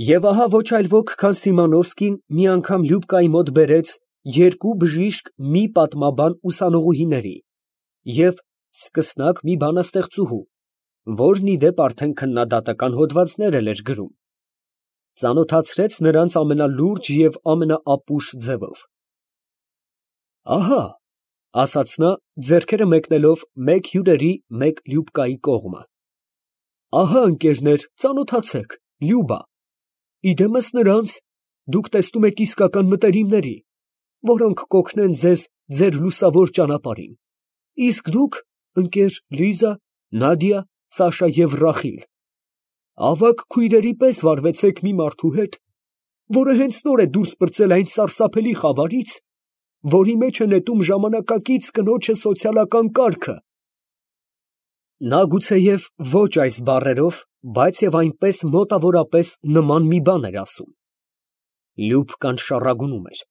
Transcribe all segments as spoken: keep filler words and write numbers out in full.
Եվ ահա ոչ այլ ոք, քան Սիմոնովսկին մի անգամ Լյուբկայի մոտ բերեց երկու բժիշկ մի պատմաբան ուսանողուհիների և սկսնակ մի բանաստեղծուհու, որն ի դեպ արդեն քննադատական հոդվածներ էլ էր գրում, ծանոթացրեց նրանց ամենալուրջ և ամենաապուշ ձևով։ ֊ Ահա, ֊ ասաց նա, ձեռքերը մեկնելով մեկ հյուրերի, մեկ Լյուբկայի կողմը, ֊ ահա, ընկերներ, ծանոթացեք, Լյուբա, իդեմս նրանց, դուք տեսնում եք իսկական մտերիմների, որոնք կօգնեն ձեզ ձեր լուսավոր ճանապարհին, իսկ դուք, ընկեր Լիզա, Նադիա, Սաշա և Ռախիլ, ավագ քույրերի պես վարվեցեք մի մարդու հետ, որը հենց նոր է դուրս պրծել այն սարսափելի խավարից, որի մեջ է նետում ժամանակակից կնոջը սոցիալական կարգը։ Նա գուցեև ոչ այս բառերով, բայց և այնպես մոտավորապես նման մի բան էր ասում։ Լյուբկան շառագունում էր,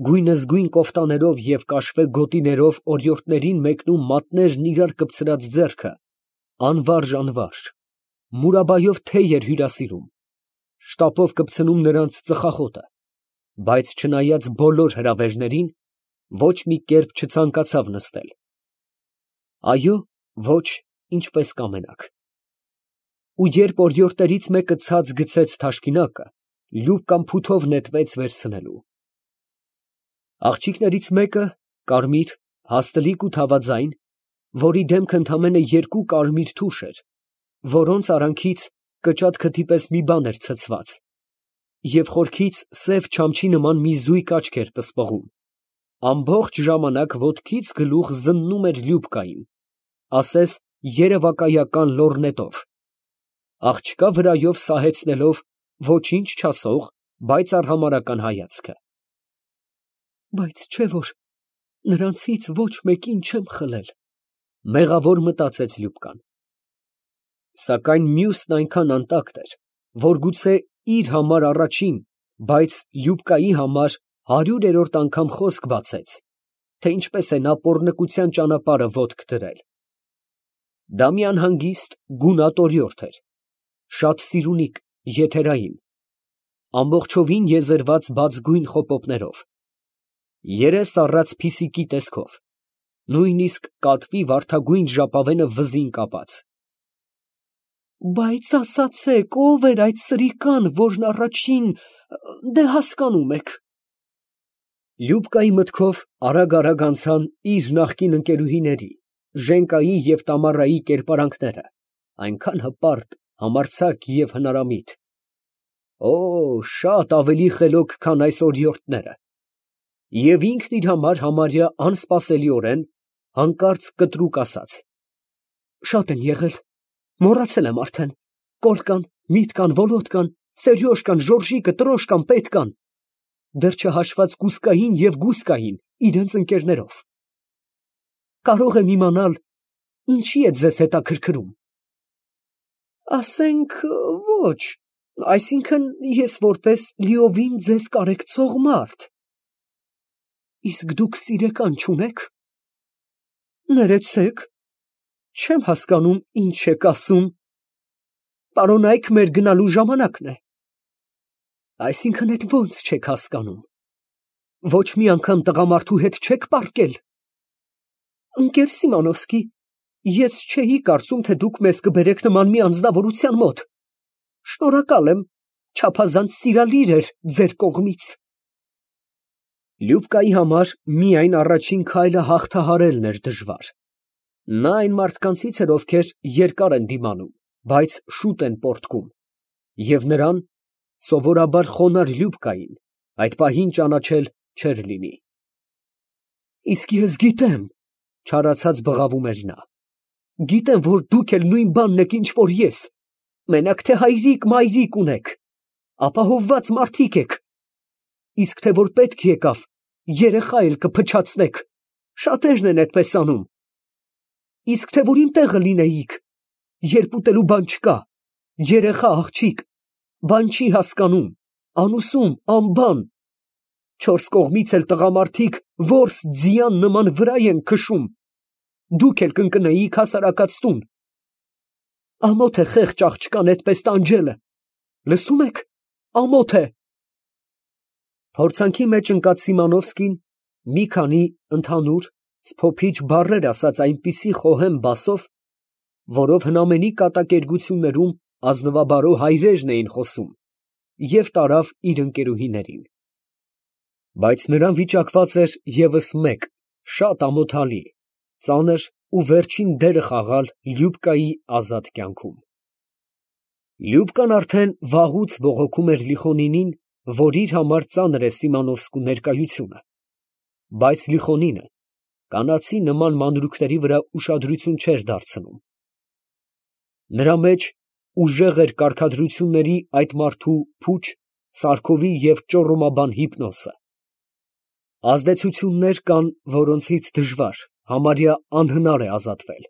գույնզգույն կոֆտաներով և կաշվե գոտիներով օրիորդներին մեկնում մատներն իրար կպցրած ձեռքը, անվարժ֊անվարժ, մուրաբայով թեյ էր հյուրասիրում, շտապով կպցնում նրանց ծխախոտը, բայց չնայած բոլոր հրավերներին, ոչ մի կերպ չցանկացավ նստել։ Այո, ոչ, ինչպես կամենաք։ Ու երբ օրիորդներից մեկը ցած գցեց թաշկինակը, Լյուբկան փութով նետվեց վերցնելու։ Աղջիկներից մեկը, կարմիր, հաստլիկ ու թավաձայն, որի դեմքը ընդամենը երկու կարմիր թուշ էր, որոնց արանքից կճատ քթի պես մի բան էր ցցված, և խորքից սև չամչի նման մի զույգ աչք էր պսպղում, ամբողջ ժամանակ ոտքից գլուխ զննում էր Լյուբկային, ասես երևակայական լոռնետով, աղջկա վրայով սահեցնելով ոչինչ չասող, բայց արհամարհական հայացքը։ Բայց չէ՞ որ նրանցից ոչ մեկին չեմ խլել, մեղավոր մտածեց Լյուբկան։ Սակայն մյուսն այնքան անտակտ էր, որ գուցե իր համար առաջին, բայց Լյուբկայի համար հարյուրերորդ անգամ խոսք բացեց, թե ինչպես է նա պոռնկության ճանապարհը ոտք դրել։ Դա մի անհանգիստ, գունատ օրիորդ էր, շատ սիրունիկ, եթերային, ամբողջովին եզերված բացգույն խոպոպներով, երես առած փիսիկի տեսքով, նույնիսկ կատվի վարդագույն ժապավենը վզին կապած։ Բայց ասացեք, ո՞վ էր այդ սրիկան, որն առաջին… դե հասկանում եք։ Լյուբկայի մտքով արագ֊արագ անցան իր նախկին ընկերուհիների՝ Ժենկայի և Տամարայի կերպարանքները, այնքան հպարտ, համարձակ և հնարամիտ… Օ, շատ ավելի խելոք, քան այս օրիորդները… Եվ ինքն իր համար համարյա անսպասելիորեն, հանկարծ կտրուկ ասաց. Շատ են եղել, մոռացել եմ արդեն, Կոլկան, Միտկան, Վոլոդկան, Սերյոժկան, Ժորժիկը, Տրոշկան, Պետկան, դեռ չհաշված Կուսկային և Գուսկային իրանց ընկերներով… Կարող եմ իմանալ, ինչի է ձեզ հետաքրքրում։ Ասենք, ոչ, այսինքն, ես որպես լիովին ձեզ կարեկցող մարդ… Իսկ դուք սիրեկան չունե՞ք։ Ներեցեք, չեմ հասկանում, ինչ եք ասում… Պարոնայք, մեր գնալու ժամանակն է։ Այսինքն, էդ ո՞նց չեք հասկանում, ոչ մի անգամ տղամարդու հետ չե՞ք պառկել։ Ընկեր Սիմոնովսկի, ես չէի կարծում, թե դուք մեզ կբերեք նման մի անձնավորության մոտ… Շնորհակալ եմ, չափազանց սիրալիր էր ձեր կողմից… Լյուբկայի համար միայն առաջին քայլը հաղթահարելն էր դժվար… Նա այն մարդկանցից էր, ովքեր երկար են դիմանում, բայց շուտ են պոռթկում, և նրան, սովորաբար խոնարհ Լյուբկային, այդ պահին ճանաչել չէր լինի։ Իսկ ես գիտեմ, ֊ չարացած բղավում էր նա, ֊ գիտեմ, որ դուք էլ նույն բանն եք, ինչ որ ես, մենակ թե հայրիկ֊մայրիկ ունեք, ապահովված մարդիկ եք, իսկ թե որ պետք եկավ, երեխա էլ կփչացնեք, շատերն են այդպես անում, իսկ թե որ իմ տեղը լինեիք, երբ ուտելու բան չկա, երեխա, աղջիկ, բան չի հասկանում, անուսում, անբան, չորս կողմից էլ տղամարդիկ որս ձիան նման վրա են քշում, դուք էլ կընկնեիք հասարակած տուն… Ամոթ է խեղճ աղջկան այդպես տանջելը, լսո՞ւմ եք, ամոթ է։ Փորձանքի մեջ ընկած Սիմոնովսկին մի քանի ընդհանուր, սփոփիչ բառեր ասաց այնպիսի խոհեմ բասով, որով հնամենի կատակերգություններում ազնվաբարո հայրերն էին խոսում, և տարավ իր ընկերուհիներին։ Բայց նրան վիճակված էր ևս մեկ, շատ ամոթալի, ծանր ու վերջին դերը խաղալ Լյուբկայի ազատ կյանքում։ Լյուբկան արդեն վաղուց բողոքում էր Լիխոնինին, որ իր համար ծանր է Սիմոնովսկու ներկայությունը, բայց Լիխոնինը կանացի նման մանրուքների վրա ուշադրություն չէր դարձնում։ Նրա մեջ ուժեղ էր կարգադրությունների այդ մարդու փուչ, սարքովի և ճոռոմաբան հիպնոսը։ Ազդեցություններ կան, որոնցից դժվար, համարյա անհնար է ազատվել։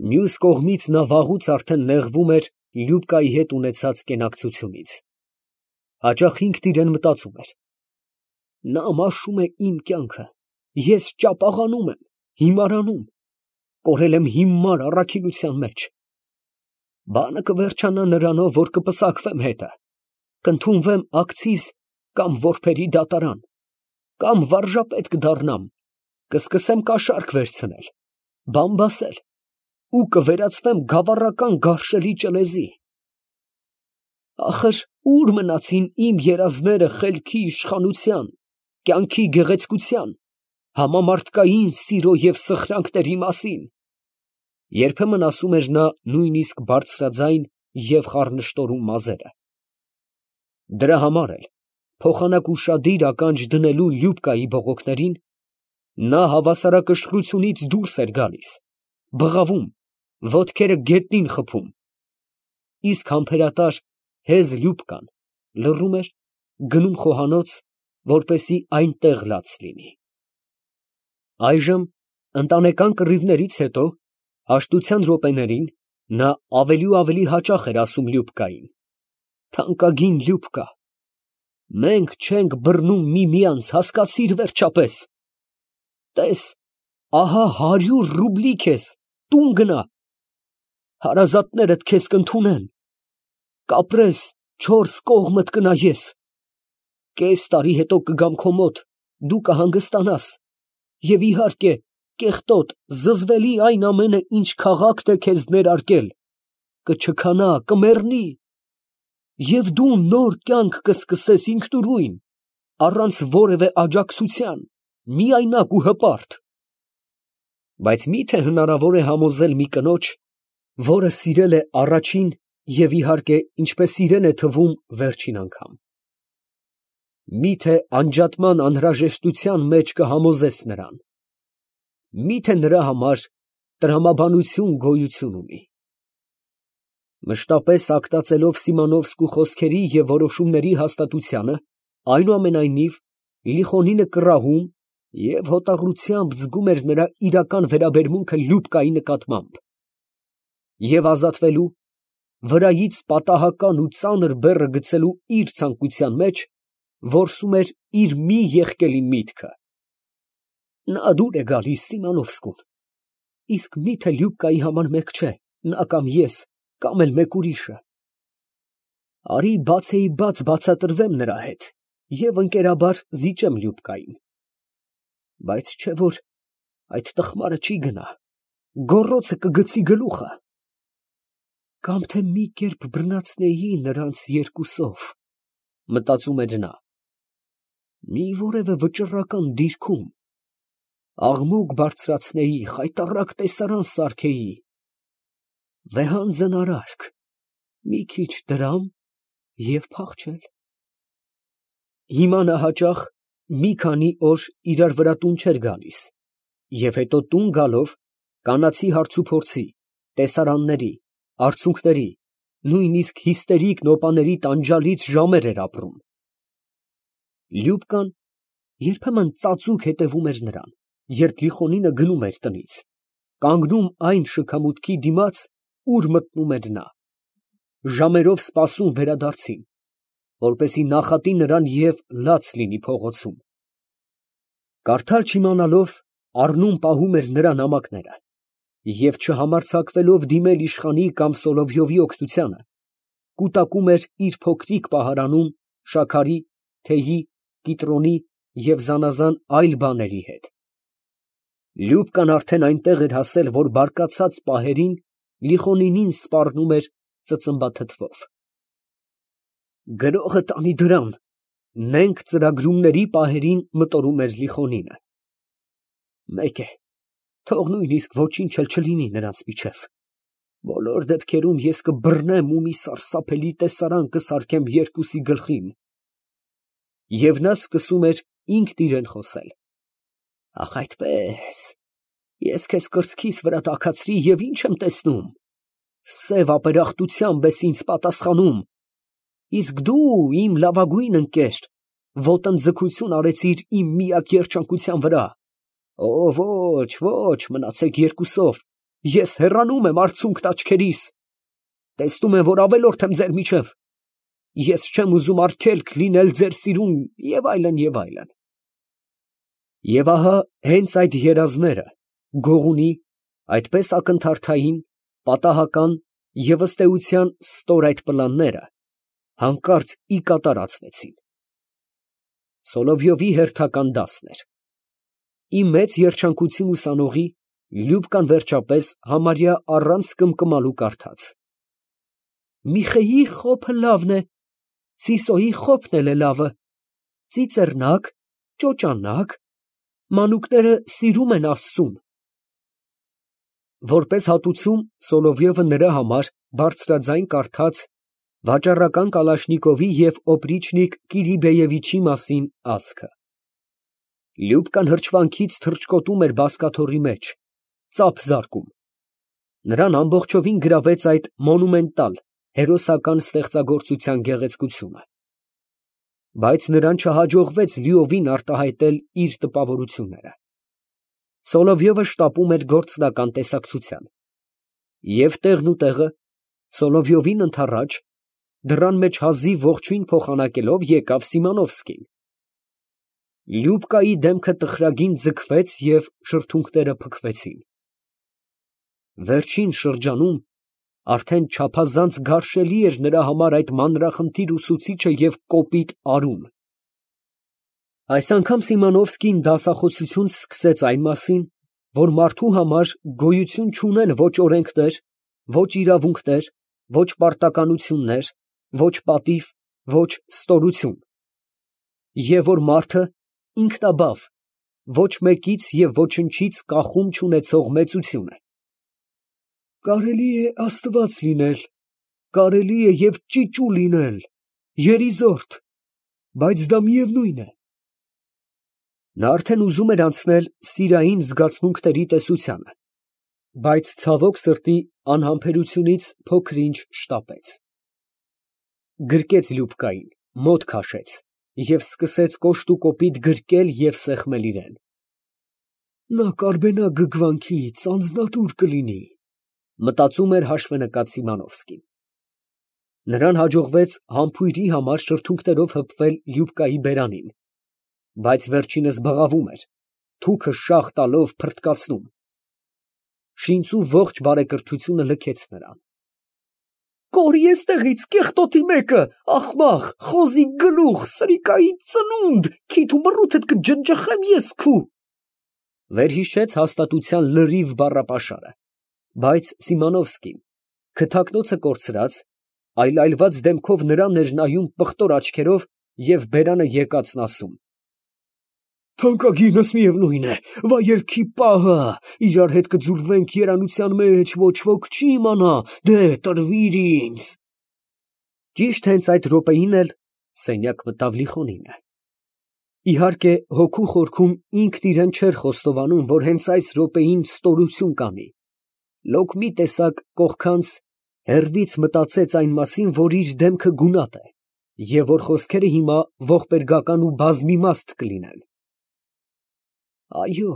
Մյուս կողմից նա վաղուց արդեն նեղվում էր Լյուբկայի հետ ունեցած կենակցությունից։ Հաճախ ինքն իրան մտածում էր. նա մաշում է իմ կյանքը, ես ճապաղանում եմ, հիմարանում, կորել եմ հիմար առաքինության մեջ։ Բանը կվերջանա նրանով, որ կպսակվեմ հետը, կընդունվեմ ակցիզ կամ որբերի դատարան, կամ վարժապետ կդառնամ, կսկսեմ կաշառք վերցնել, բամբասել ու կվերածվեմ գավառական գարշելի ճլեզի։ Ախր ո՞ւր մնացին իմ երազները խելքի իշխանության, կյանքի գեղեցկության, համամարդկային սիրո և սխրանքների մասին։ Երբեմն ասում էր նա նույնիսկ բարձրաձայն և խառնշտորում մազերը։ Դրա համար էլ, փոխանակ ուշադիր ականջ դնելու Լյուբկայի բողոքներին, նա հավասարակշռությունից դուրս էր գալիս, բղավում, ոտքերը գետնին խփում, իսկ համբերատար հեզ Լյուբկան լռում էր, գնում խոհանոց, որպեսզի այնտեղ լաց լինի։ Այժմ, ընտանեկան կռիվներից հետո, հաշտության րոպեներին, նա ավելի ու ավելի հաճախ էր ասում Լյուբկային. «Թանկագին Լյուբկա, մենք չենք բռնում միմյանց, հասկացի՞ր վերջապես։ Տես, ահա հարյուր ռուբլի քեզ, տուն գնա, հարազատներդ քեզ կընդունեն, կապրես, չորս կողմդ կնայես, կես տարի հետո կգամ քո մոտ, դու կհանգստանաս, և իհարկե, կեղտոտ, զզվելի այն ամենը, ինչ քաղաքն է քեզ ներարկել, կչքանա, կմեռնի, և դու նոր կյանք կսկսես ինքնուրույն, առանց որևէ աջակցության, միայնակ ու հպարտ։ Բայց մի՞թե հնարավոր է համոզել մի կնոջ, որը սիրել է առաջին և, իհարկե, ինչպես իրեն է թվում, վերջին անգամ։ Մի՞թե անջատման անհրաժեշտության մեջ կհամոզես նրան։ Մի՞թե նրա համար տրամաբանություն գոյություն ունի։ Մշտապես ակտածելով Սիմոնովսկու խոսքերի և որոշումների հաստատությանը, այնուամենայնիվ, Լիխոնինը կռահում և հոտառությամբ զգում էր նրա իրական վերաբերմունքը Լյուբկայի նկատմամբ, և ազատվելու, վրայից պատահական ու ծանր բեռը գցելու իր ցանկության մեջ, որսում էր իր մի եղկելի միտքը. նա դուր է գալիս Սիմոնովսկուն, իսկ մի՞թե Լյուբկայի համար մեկ չէ, նա կամ ես, կամ էլ մեկ ուրիշը։ Արի բացեիբաց բացատրվեմ նրա հետ և ընկերաբար զիջեմ Լյուբկային։ Բայց չէ՞ որ այդ տխմարը չի գնա, գոռոցը կգցի գլուխը։ Կամ թե մի կերպ բռնացնեի նրանց երկուսով, մտածում էր նա, մի որևէ վճռական դիրքում, աղմուկ բարձրացնեի, խայտառակ տեսարան սարքեի, վեհանձն արարք, մի քիչ դրամ և փախչել։ Հիմա նա հաճախ մի քանի օր իրար վրա տուն չէր գալիս, և հետո տուն գալով, կանացի հարցուփորձի, տեսարանների, արցունքների, նույնիսկ հիստերիկ նոպաների տանջալից ժամեր էր ապրում։ Լյուբկան երբեմն ծածուկ հետևում էր նրան, երբ Լիխոնինը գնում էր տնից, կանգնում այն շքամուտքի դիմաց, ուր մտնում էր նա, ժամերով սպասում վերադարձին, որպեսզի նախատի նրան և լաց լինի փողոցում։ Կարդալ չիմանալով, առնում֊պահում էր նրա նամակները և, չհամարձակվելով դիմել իշխանի կամ Սոլովյովի օգնությանը, կուտակում էր իր փոքրիկ պահարանում շաքարի, թեյի, կիտրոնի և զանազան այլ բաների հետ։ Լյուբկան արդեն այնտեղ էր հասել, որ բարկացած պահերին Լիխոնինին սպառնում էր ծծմբաթթվով։ Գրողը տանի դրան, նենգ ծրագրումների պահերին մտորում էր Լիխոնինը։ Մեկ է, թող նույնիսկ ոչինչ էլ չլինի նրանց միջև, բոլոր դեպքերում ես կբռնեմ ու մի սարսափելի տեսարան կսարքեմ երկուսի գլխին։ Եվ նա սկսում էր ինքն իրան խոսել. Ախ, այդպես, ես քեզ կրծքիս վրա տաքացրի և ի՞նչ եմ տեսնում, սև ապերախտությամբ ես ինձ պատասխանում, իսկ դու, իմ լավագույն ընկեր, ոտնձգություն արեցիր իմ միակ երջանկության վրա։ Օ, ոչ, ոչ, մնացեք երկուսով, ես հեռանում եմ արցունքդ աչքերիս, տեսնում եմ, որ ավելորդ եմ ձեր միջև, ես չեմ ուզում արգելք լինել ձեր սիրուն և այլն, և այլն։ Եվ ահա հենց այդ երազները, գողունի, այդպես ակնթարթային, պատահական և ըստ էության ստոր այդ պլանները հանկարծ ի կատարածվեցին։ Սոլովյովի հերթական դասն էր։ Ի մեծ երջանկություն ուսանողի Լյուբկան վերջապես համարյա առանց կմկմալու կարդաց. Միխեյի խոփը լավն է, Սիսոյի խոփն էլ է լավը, ծիծեռնակ, ճոճանակ, մանուկները սիրում են Աստծուն։ Որպես հատուցում Սոլովյովը նրա համար բարձրաձայն կարդաց վաճառական Կալաշնիկովի և օպրիչնիկ Կիրիբեևիչի մասին ասքը։ Լյուբկան հրճվանքից թռչկոտում էր բազկաթոռի մեջ, ծափ զարկում։ Նրան ամբողջովին գրավեց այդ մոնումենտալ, հերոսական ստեղծագործության գեղեցկությունը։ Բայց նրան չհաջողվեց լիովին արտահայտել իր տպավորությունները։ Սոլովյովը շտապում էր գործնական տեսակցության։ Եվ տեղն ու տեղը, Սոլովյովին ընդառաջ, դռան մեջ հազիվ ողջույն փոխանակելով, եկավ Սիմոնովսկին։ Լյուբկայի դեմքը տխրագին ձգվեց և շրթունքները փքվեցին։ Վերջին շրջանում արդեն չափազանց գարշելի էր նրա համար այդ մանրախնդիր ուսուցիչը և կոպիտ արուն։ Այս անգամ Սիմոնովսկին դասախոսություն սկսեց այն մասին, որ մարդու համար գոյություն չունեն ոչ օրենքներ, ոչ իրավունքներ, ոչ պարտականություններ, ոչ պատիվ, ոչ ստորություն, և որ մարդը ինքնաբավ, ոչ մեկից և ոչնչից կախում չունեցող մեծություն է։ Կարելի է աստված լինել, կարելի է և ճիճու լինել, երիզորդ, բայց դա միևնույն է։ Նա արդեն ուզում էր անցնել սիրային զգացմունքների տեսությանը, բայց ցավոք սրտի անհամբերությունից փոքր֊ինչ շտապեց։ Գրկեց Լյուբկային, մոտ քաշեց և սկսեց կոշտուկոպիտ գրկել և սեղմել իրան։ Նա կարբենա գգվանքից, անձնատուր կլինի, մտածում էր հաշվենկատ Սիմոնովսկին։ Նրան հաջողվեց համբույրի համար շրթունքներով հպվել Լյուբկայի բերանին, բայց վերջինս բղավում էր, թուքը շաղ տալով փռթկացնում։ Շինծու ողջ բարեկրթությունը լքեց նրան։ Կորի էստեղից, կեղտոտի մեկը, ախմախ, խոզի գլուխ, սրիկայի ծնունդ, քիթ ու մռութդ կջնջխեմ ես քու… Վերհիշեց հաստատության լրիվ բառապաշարը, բայց Սիմոնովսկին, քթակնոցը կորցրած, այլայլված դեմքով նրան էր նայում պղտոր աչքերով և բերանը եկածն ասում. Թանկագինս միևնույն է, վայելքի պահը, իրար հետ կձուլվենք երանության մեջ, ոչ ոք չի իմանա, դե տրվիր ինձ… Ճիշտ հենց այդ րոպեին էլ սենյակ մտավ Լիխոնինը։ Իհարկե, հոգու խորքում ինքն իրան չէր խոստովանում, որ հենց այս րոպեին ստորություն կանի, լոկ մի տեսակ կողքանց, հեռվից մտածեց այն մասին, որ իր դեմքը գունատ է, և որ խոսքերը հիմա ողբերգական ու բազմիմաստ կլինեն։ Այո,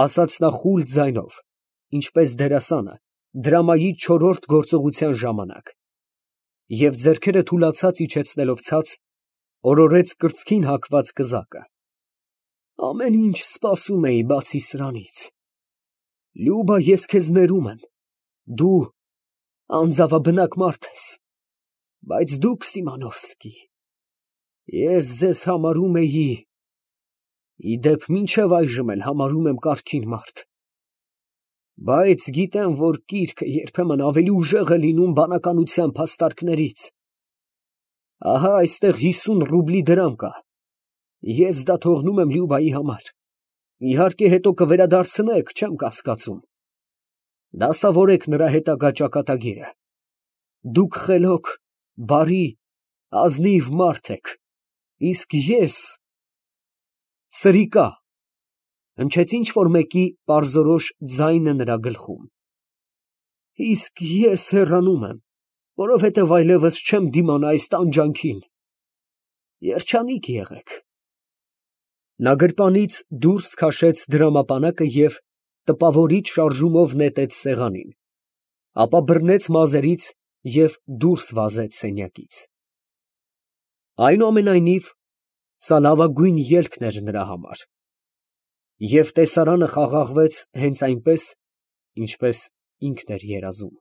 ասաց նա խուլ ձայնով, ինչպես դերասանը դրամայի չորրորդ գործողության ժամանակ, և ձեռքերը թուլացած իջեցնելով ցած, օրորեց կրծքին հագված կզակը։ Ամեն ինչ սպասում էի, բացի սրանից… Լյուբա, ես քեզ ներում եմ, դու անձավաբնակ մարդ ես, Բայց դուք, Սիմոնովսկի, ես ձեզ համարում էի, ի դեպ մինչև այժմ էլ համարում եմ կարգին մարդ, բայց գիտեմ, որ կիրքը երբեմն ավելի ուժեղ է լինում բանականության փաստարկներից։ Ահա այստեղ հիսուն ռուբլի դրամ կա, ես դա թողնում եմ Լյուբայի համար, իհարկե հետո կվերադարձնեք, չեմ կասկածում, դասավորեք նրա հետագա ճակատագիրը, դուք խելոք, բարի, ազնիվ մարդ եք, իսկ ես… Սրիկա… հնչեց ինչ֊որ մեկի պարզորոշ ձայնը նրա գլխում։ Իսկ ես հեռանում եմ, որովհետև այլևս չեմ դիմանա այս տանջանքին… Երջանիկ եղեք… Նա գրպանից դուրս քաշեց դրամապանակը և տպավորիչ շարժումով նետեց սեղանին, ապա բռնեց մազերից և դուրս վազեց սենյակից… Այնուամենայնիվ, սա լավագույն ելքն էր նրա համար, և տեսարանը խաղաղվեց հենց այնպես, ինչպես ինքն էր երազում։